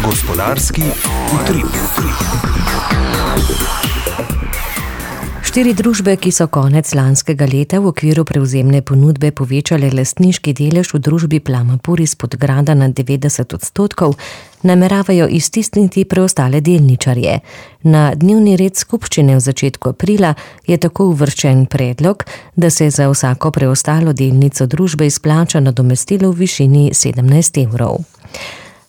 Gospodarski utrip. 4 družbe, ki so konec lanskega leta v okviru prevzemne ponudbe povečale lastniški delež v družbi Plamapur iz Podgrada na 90%, nameravajo iztisniti preostale delničarje. Na dnevni red skupščine v začetku aprila je tako uvrščen predlog, da se za vsako preostalo delnico družbe izplača nadomestilo v višini 17 evrov.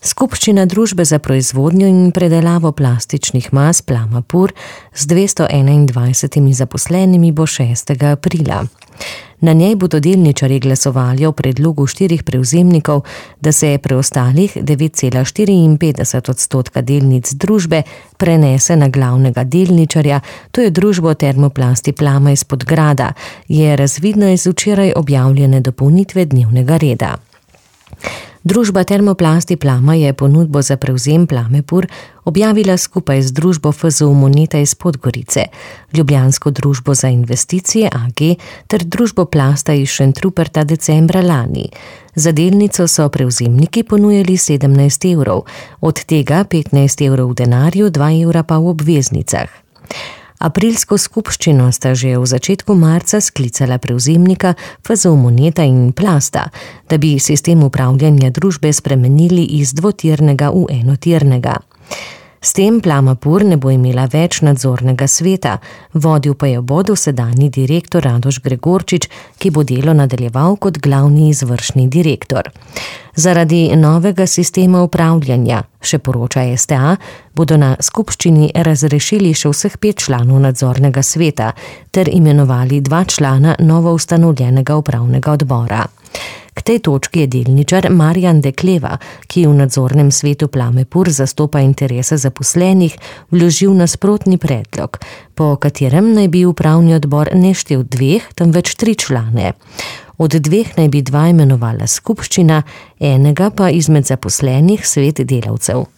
Skupščina družbe za proizvodnjo in predelavo plastičnih mas Plamapur z 221 zaposlenimi bo 6. aprila. Na njej bodo delničarji glasovali o predlogu 4 prevzemnikov, da se preostalih 9,54% delnic družbe prenese na glavnega delničarja, to je družbo Termoplasti Plama iz Podgrada, je razvidno iz včeraj objavljene dopolnitve dnevnega reda. Družba Termoplasti Plama je ponudbo za prevzem Plamapur objavila skupaj z družbo FZU Moneta iz Podgorice, Ljubljansko družbo za investicije AG ter družbo Plasta iz Šentruperta decembra lani. Za delnico so prevzemniki ponujali 17 evrov, od tega 15 evrov v denarju, 2 evra pa v obveznicah. Aprilsko skupščino sta že v začetku marca sklicala prevzemnika FZU Moneta in Plasta, da bi sistem upravljanja družbe spremenili iz dvotirnega v enotirnega. S tem Plamapur ne bo imela več nadzornega sveta, vodil pa jo bo dosedanji direktor Radoš Gregorčič, ki bo delo nadaljeval kot glavni izvršni direktor. Zaradi novega sistema upravljanja, še poroča STA, bodo na skupščini razrešili še vseh 5 članov nadzornega sveta ter imenovali 2 člana novo ustanovljenega upravnega odbora. K tej točki je delničar Marjan Dekleva, ki v nadzornem svetu Plamapur zastopa interese zaposlenih, vložil nasprotni predlog, po katerem naj bi upravni odbor ne štel 2, temveč 3 člane. Od 2 naj bi 2 imenovala skupščina, enega pa izmed zaposlenih svet delavcev.